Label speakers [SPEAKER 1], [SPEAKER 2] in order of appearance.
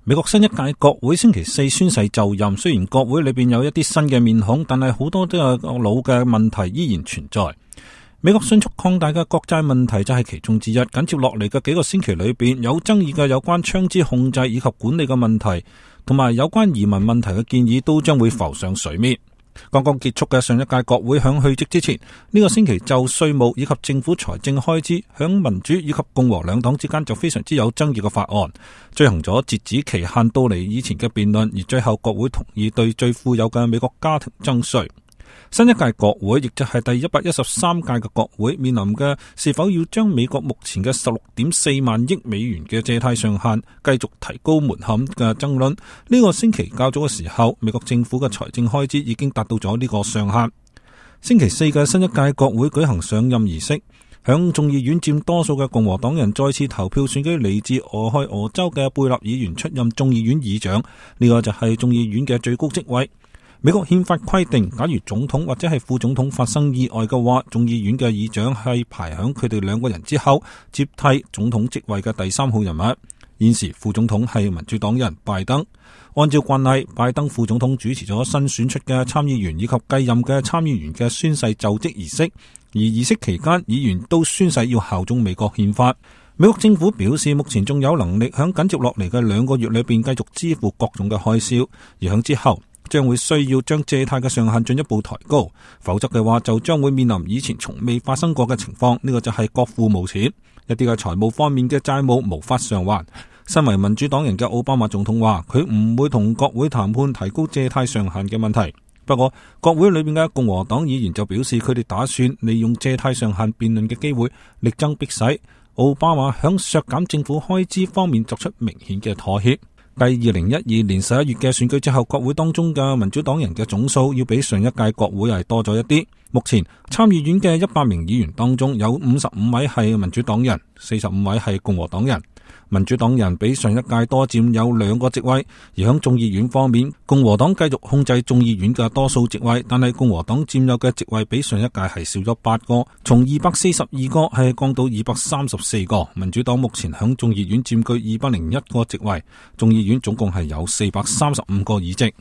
[SPEAKER 1] 美國新一屆國會星期四宣誓就任，雖然國會裏邊有一啲新嘅面孔，但係好多都有老嘅問題依然存在。美國迅速擴大嘅國債問題就係其中之一。緊接落嚟嘅幾個星期裏邊，有爭議嘅有關槍支控制以及管理嘅問題，同埋有關移民問題嘅建議都將會浮上水面。剛剛結束嘅上一屆國會響去職之前，呢個星期就稅務以及政府財政開支響民主以及共和兩黨之間就非常之有爭議嘅法案，進行咗截止期限到嚟以前嘅辯論，而最後國會同意對最富有嘅美國家庭徵稅。新一屆國會，亦就係第113屆嘅國會，面臨嘅是否要將美國目前嘅16.4萬億美元嘅借貸上限繼續提高門檻嘅爭論。呢個星期較早嘅時候，美國政府嘅財政開支已經達到咗呢個上限。星期四嘅新一屆國會舉行上任儀式，響眾議院佔多數嘅共和黨人再次投票選舉嚟自俄亥俄州嘅貝納議員出任眾議院議長，呢個就係眾議院嘅最高職位。美國憲法規定，假如總統或者係副總統發生意外嘅話，眾議院嘅議長係排響佢哋兩個人之後接替總統職位嘅第三號人物。現時副總統係民主黨人拜登。按照慣例，拜登副總統主持咗新選出嘅參議員以及繼任嘅參議員嘅宣誓就職儀式，而儀式期間議員都宣誓要效忠美國憲法。美國政府表示，目前仲有能力響緊接落嚟嘅2個月裏邊繼續支付各種嘅開銷，而響之後將會需要將借貸嘅上限進一步抬高，否則嘅話就將會面臨以前從未發生過嘅情況。呢個就係國庫冇錢，一啲嘅財務方面嘅債務無法償還。身為民主黨人嘅奧巴馬總統話，佢唔會同國會談判提高借貸上限嘅問題。不過國會裏面嘅共和黨議員就表示，佢哋打算利用借貸上限辯論嘅機會力爭迫使奧巴馬響削減政府開支方面作出明顯嘅妥協。繼2012年11月嘅選舉之後，國會當中嘅民主黨人嘅總數要比上一屆國會係多咗一啲。目前參議院嘅100名議員當中有55位係民主黨人，45位係共和黨人。民主黨人比上一屆多佔有2個職位，而喺眾議院方面，共和黨繼續控制眾議院嘅多數職位，但係共和黨佔有嘅職位比上一屆係少咗8個，從242個係降到234個。民主黨目前喺眾議院佔據201個職位，眾議院總共係有435個議席。